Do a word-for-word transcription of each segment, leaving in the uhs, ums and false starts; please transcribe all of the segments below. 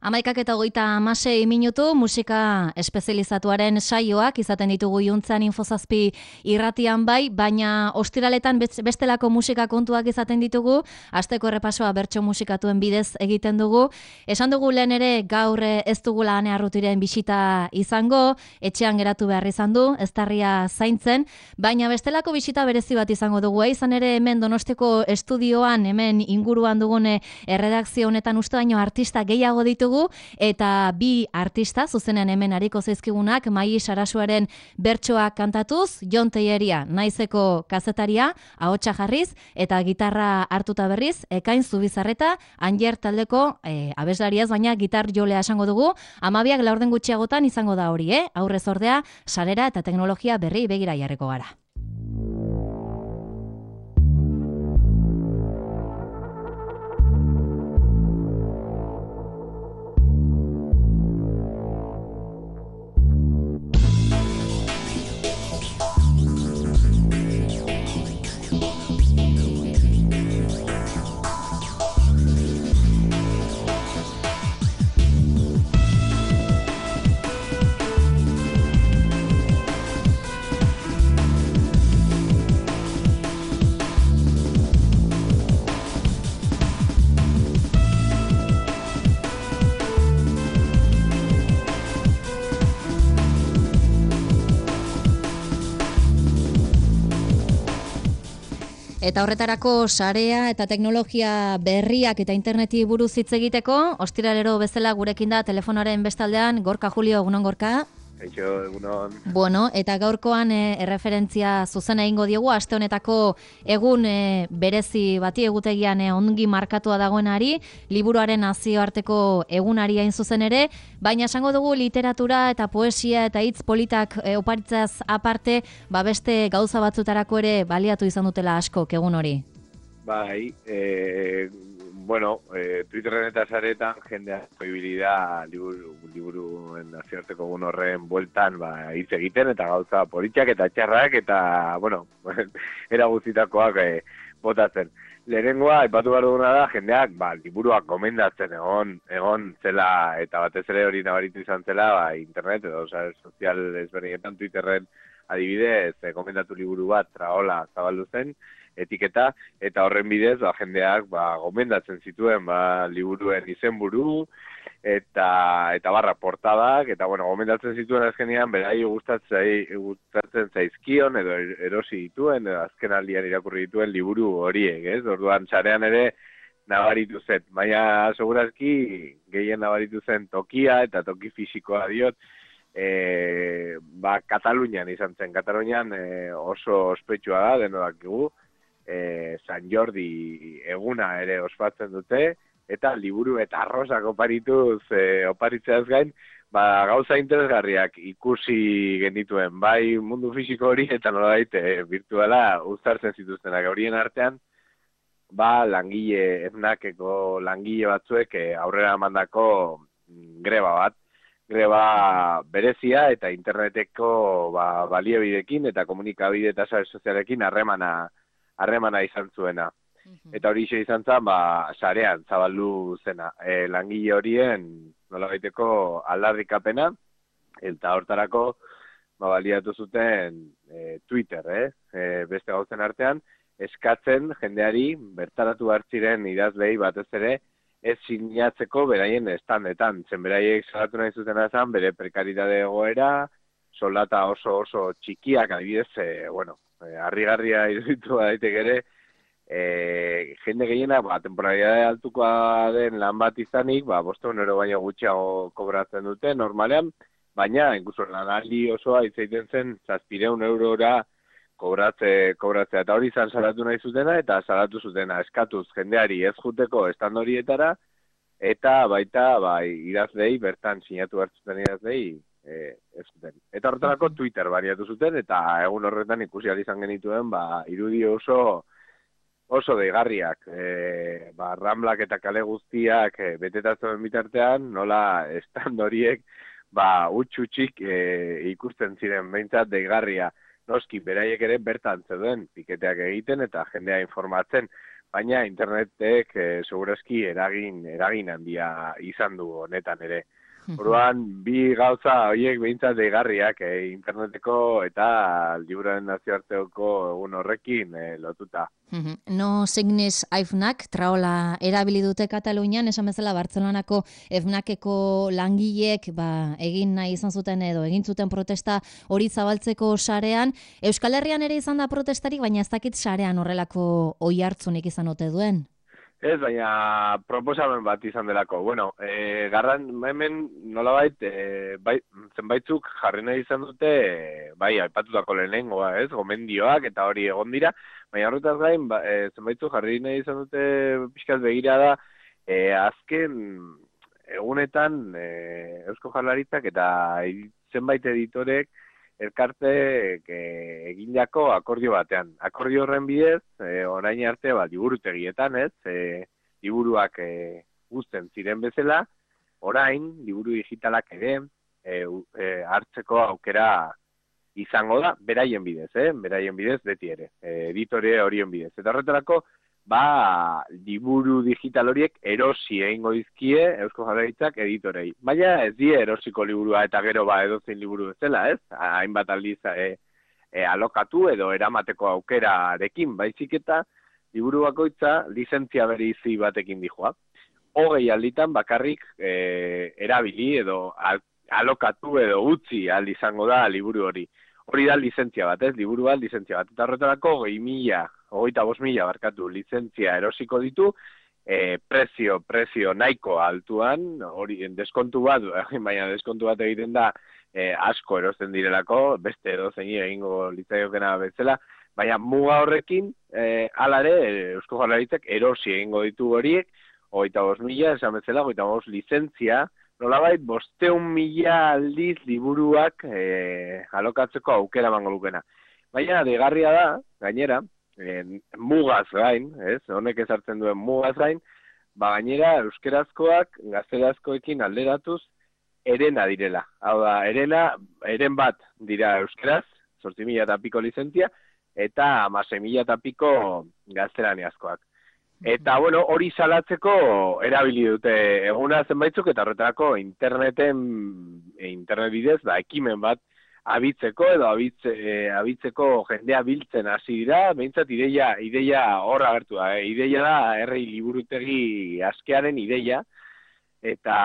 Hamaikak eta hogeita hamasei minutu musika espezializatuaren saioak izaten ditugu Iuntzan Infozazpi irratian bai, baina ostiraletan bestelako musika kontuak izaten ditugu, asteko errepasoa bertso musikatuen bidez egiten dugu. Esan dugu lehen ere gaur ez dugula Ane Arrutiren bisita izango, etxean geratu behar izan du, eztarria zaintzen, baina bestelako bisita berezi bat izango dugu. Izan ere hemen Donostiko estudioan, hemen inguruan dugune erredakzio honetan uste baino artista gehiago ditugu, eta bi artista zuzenean hemen ariko zaizkigunak Mai Sarasuaren bertsoak kantatuz, Jon Telleria naizeko kazetaria, ahotsa jarriz eta gitarra hartuta berriz, Ekain Zubizarreta, Anjer taldeko e, abeslariaz, baina gitar jolea esango dugu. Hamabiak laurden gutxiagotan izango da hori, eh? Aurrez ordea, sarera eta teknologia berri begira jarriko gara. Eta horretarako sarea eta teknologia berriak eta interneti buruz hitz egiteko, ostiralero bezala gurekin da telefonaren bestaldean Gorka Julio, egunon Gorka. Eixo, egunon. Bueno, eta gaurkoan e, erreferentzia zuzena egingo diogu, aste honetako egun e, berezi bati egutegian e, ongi markatua dagoenari, liburuaren nazioarteko egunari hain zuzen ere, baina esango dugu literatura eta poesia eta hitz politak e, oparitzaz aparte, ba beste gauza batzutarako ere baliatu izan dutela asko egun hori. Bai, e, bueno, e, Twitterren eta saretan jendea posibilidad liburu, liburuen nazioarteko egun horren bueltan ba, hitz egiten eta gauza politiak eta txarrak eta, bueno, era guztitakoak e, botatzen. Lehenengoa, aipatu behar duguna da, jendeak ba, liburuak gomendatzen egon, egon zela eta batez ere hori nabaritu izan zela ba, internet edo oza, sozial ezberdinetan Twitterren adibidez e, gomendatu liburu bat traola zabaldu zen, etiketa, eta horren bidez ba, jendeak ba, gomendatzen zituen ba, liburuen izenburu eta eta barra portadak, eta bueno, gomendatzen zituen azkenean berai gustatzen, gustatzen zaizkion edo erosi dituen, edo azken aldian irakurri dituen liburu horiek, ez? Orduan sarean ere nabaritu zen, baina segurazki gehien nabaritu zen tokia eta toki fisikoa diot, e, ba, Katalunian izan zen. Katalunian e, oso ospetsua da, denodak dugu, E, San Jordi eguna ere ospatzen dute, eta liburu eta arrosak oparituz, e, oparitzeaz gain, ba, gauza interesgarriak ikusi genituen, bai mundu fisiko hori eta nolabait e, virtuala uztartzen zituztenak. Horien artean, ba, langile, eznakeko langile batzuek e, aurrera mandako greba bat, greba berezia eta interneteko ba, baliobidekin eta komunikabide eta sare sozialekin harremana harremana izan zuena. Eta hori izan zen, ba, sarean zabaldu zena. E, langile horien nolabaiteko aldarrikapena, eta hortarako ba, baliatu zuten e, Twitter, eh? E, beste gauzen artean, eskatzen jendeari bertaratu hartziren idazlei batez ere, ez sinatzeko beraien estandetan. Zen beraiek salatu nahi zuten zen, bere prekaritate egoera, soldata oso oso txikiak, adibidez, e, bueno, harrigarria iruditu daitek ere, e, jende gehiena, ba, temporalidade altukoa den lan bat izanik, ba, bosteun euro baino gutxiago kobratzen dute, normalean, baina, inkuso lanaldi osoa itzaiten zen, zazpireun eurora kobratze, kobratzea, eta hori izan salatu nahi zutena, eta salatu zutena, eskatuz jendeari ez juteko estand horietara, eta baita, bai, idazlei, bertan sinatu hartzuten idazlei, E, ez zuten. Eta horretarako Twitter bariatu zuten, eta egun horretan ikusi ahal izan genituen, ba, irudi oso oso deigarriak. E, ba, Ramblak eta kale guztiak e, betetatzen bitartean, nola stand horiek, ba, utxutxik e, ikusten ziren, behintzat deigarria. Noski, beraiek ere bertan zeuden, piketeak egiten eta jendea informatzen. baina internetek e, segurazki eragin, eragin handia izan du honetan ere. Orduan, bi gauza horiek behintzat deigarriak e, interneteko eta liburuen nazioarteoko egun horrekin e, lotuta. No signis AFNAC, traola erabili dute Katalunian, esan bezala Bartzelonako FNACeko langileek ba, egin nahi izan zuten edo egin zuten protesta hori zabaltzeko sarean. Euskal Herrian ere izan da protestarik, baina ez dakit sarean horrelako oihartzunik izan ote duen. Ez, baina proposamen bat izan delako. Bueno, e, garran hemen nolabait, e, bai, zenbaitzuk jarri nahi izan dute, e, bai, aipatutako lehenengoa, ez, gomendioak eta hori egon dira, baina horretaz gain, ba, e, zenbaitzuk jarri nahi izan dute pixkaz begira da, e, azken egunetan e, Eusko Jaurlaritzak eta zenbait editorek elkarte e, egindako akordio batean. Akordio horren bidez, e, orain arte, ba, liburutegietan, ez, e, liburuak e, guzten ziren bezala, orain, liburu digitalak ere, e, e, hartzeko aukera izango da, beraien bidez, eh? beraien bidez beti ere, e, editore horien bidez. Eta horretarako, ba, liburu digital horiek erosi egingo dizkie Eusko Jaurlaritzak editorei. Baina ez die erosiko liburua eta gero ba edozein liburu bezala, ez? Hainbat aldiz e, e, alokatu edo eramateko aukerarekin, baizik eta liburu bakoitza lizentzia bereizi batekin dijoa. Hogei alditan bakarrik e, erabili edo al, alokatu edo utzi aldi izango da liburu hori. Hori da lizentzia bat, ez? Liburu bat lizentzia bat. Eta horretarako hogei mila hogeita bost mila barkatu lizentzia erosiko ditu, e, prezio, prezio nahiko altuan, hori deskontu bat, baina deskontu bat egiten da e, asko erosten direlako, beste edozein egingo litzaiokena bezala, baina muga horrekin, e, alare, Eusko Jaurlaritzak erosi egingo ditu horiek, hogeita bost mila, esan bezala, hogeita bost lizentzia, nolabait, bosteun mila aldiz liburuak e, alokatzeko aukera emango lukena. Baina, degarria da, gainera, En, mugaz gain, ez, honek ezartzen duen mugaz gain, ba gainera euskerazkoak gazterazkoekin alderatuz erena direla. Hau da, erena, eren bat dira euskeraz, zortzi mila eta piko lizentzia, eta hamasei mila eta piko gaztelaniazkoak. Eta, bueno, hori salatzeko erabili dute eguna zenbaitzuk, eta horretarako interneten, internet bidez, da, ekimen bat, abitzeko edo abitze, e, abitzeko jendea biltzen hasi dira, behintzat ideia, ideia hor agertu da, eh? Ideia da herri liburutegi askearen ideia, eta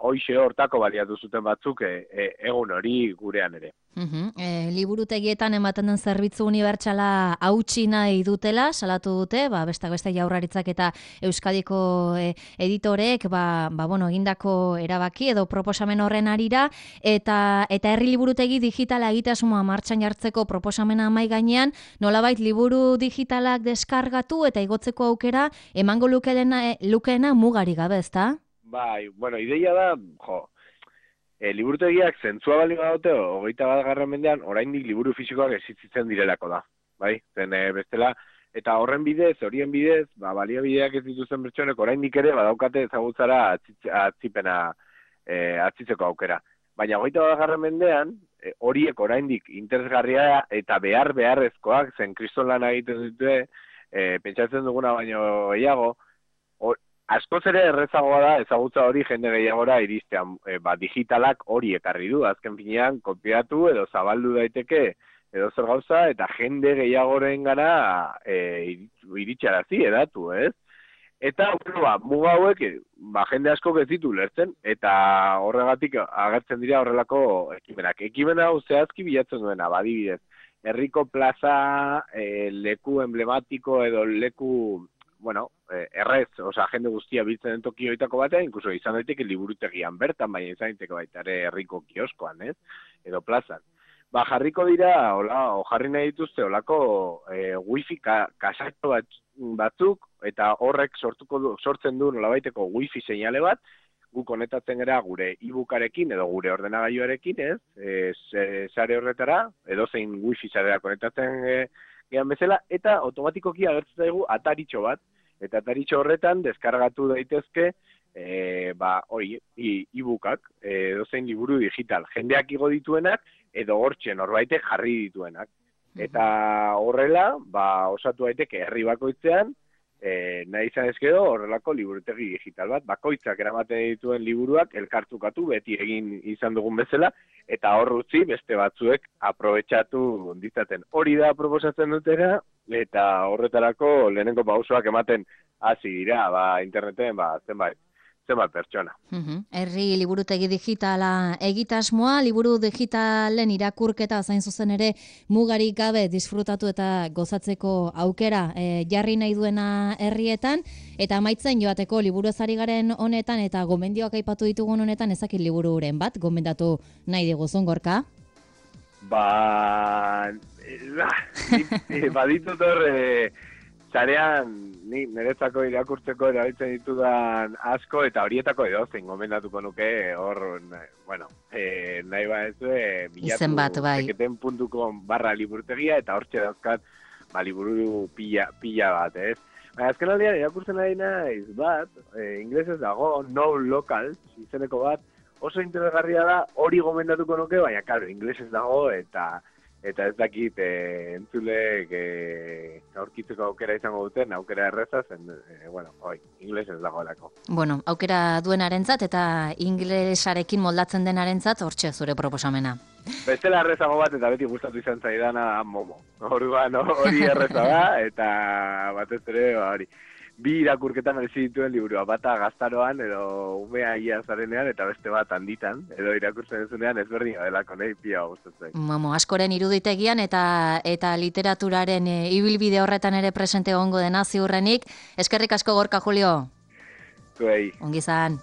hoxe hortako baliatu zuten batzuk e, e, egun hori gurean ere. Uhum. E, liburutegietan ematen den zerbitzu unibertsala hautsi nahi dutela, salatu dute, ba, bestak beste Jaurlaritzak eta Euskadiko e, editoreek ba, ba, bueno, egindako erabaki edo proposamen horren arira, eta eta herri liburutegi digitala egitasmoa martxan jartzeko proposamena mai gainean, nolabait liburu digitalak deskargatu eta igotzeko aukera emango lukeena, lukeena mugari gabe, ezta? Bai, bueno, ideia da, jo, e, liburutegiak zentzua bali badute, hogeita bat garren mendean, oraindik liburu fisikoak existitzen direlako da, bai? Zen e, bestela, eta horren bidez, horien bidez, ba, baliabideak ez dituzten pertsonek oraindik ere badaukate ezagutzara atzitz, atzipena e, atzitzeko aukera. Baina hogeita bat garren mendean, e, horiek oraindik interesgarria eta behar beharrezkoak, zen kriston lana egiten dute, e, pentsatzen duguna baino gehiago, or, askoz ere errezagoa da ezagutza hori jende gehiagora iristean, e, ba, digitalak hori ekarri du, azken finean kopiatu edo zabaldu daiteke edo zer gauza, eta jende gehiagoren gara e, iritsarazi edatu, ez? Eta, bueno, ba, muga hauek, ba, jende asko ez ditu lertzen, eta horregatik agertzen dira horrelako ekimenak. Ekimen hau zehazki bilatzen duena, badibidez, herriko plaza, e, leku emblematiko edo leku, bueno, errez, osea, jende guztia biltzen den toki hoitako batean, inkluso izan daiteke liburutegian bertan, baina izan daiteke baita ere herriko kioskoan, ez? Edo plazan. Ba, jarriko dira, hola, o jarri nahi dituzte, holako e, wifi ka, kasatxo bat, batzuk, eta horrek sortuko du, sortzen du nolabaiteko wifi seinale bat, gu konektatzen gara gure e-bookarekin edo gure ordenagailuarekin, ez? E, sare horretara, edo zein wifi sarera konektatzen e, gehan bezala, eta automatikoki agertzen zaigu ataritxo bat, eta ataritxo horretan deskargatu daitezke e, ba, hori, e-bookak, e, edo zein liburu digital, jendeak igo dituenak, edo hortxe norbaitek jarri dituenak. Eta horrela, ba, osatu daiteke herri bakoitzean, E, nahi izan ezkedo horrelako liburutegi digital bat, bakoitzak eramaten dituen liburuak elkartzukatu beti egin izan dugun bezala, eta hor utzi beste batzuek aprobetxatu ditzaten. Hori da proposatzen dutera, eta horretarako lehenengo pausoak ematen hasi dira, ba, interneten, ba, zenbait, zenbait pertsona. Uhum. Herri liburutegi digitala egitasmoa, liburu digitalen irakurketa zain zuzen ere mugarik gabe disfrutatu eta gozatzeko aukera e, jarri nahi duena herrietan, eta amaitzen joateko liburu ezari garen honetan eta gomendioak aipatu ditugun honetan ezakit libururen bat, gomendatu nahi diguzun Gorka? Ba, e, baditut hor, e, zarean, ni niretzako irakurtzeko erabiltzen ditudan asko, eta horietako edozein gomendatuko nuke, hor, bueno, e, nahi ba ez du, e, Izen bat, bai. seketen puntu com barra liburutegia, eta hortxe dauzkat, ba, liburu pila, pila bat, ez? Baina, azken aldean, irakurtzen ari naiz bat, e, inglesez dago, No Local, izeneko bat, oso interesgarria da, hori gomendatuko nuke, baina, karo, inglesez dago, eta eta ez dakit e, entzulek e, aurkitzeko aukera izango duten, aukera erreza zen, e, bueno, oi, inglesez dagoelako. Bueno, aukera duenarentzat eta inglesarekin moldatzen denarentzat hortxe zure proposamena. Bestela errezago bat, eta beti gustatu izan zaidana Momo. Orduan hori erreza da, eta batez ere, hori. Bi irakurketan merezi dituen liburua, bata gaztaroan edo umea ia zarenean eta beste bat handitan, edo irakurtzen duzunean ezberdin delako nahi pia gustatzen. Momo, askoren iruditegian eta eta literaturaren e, ibilbide horretan ere presente egongo dena ziurrenik. Eskerrik asko Gorka Julio. Zuei. Ongi izan.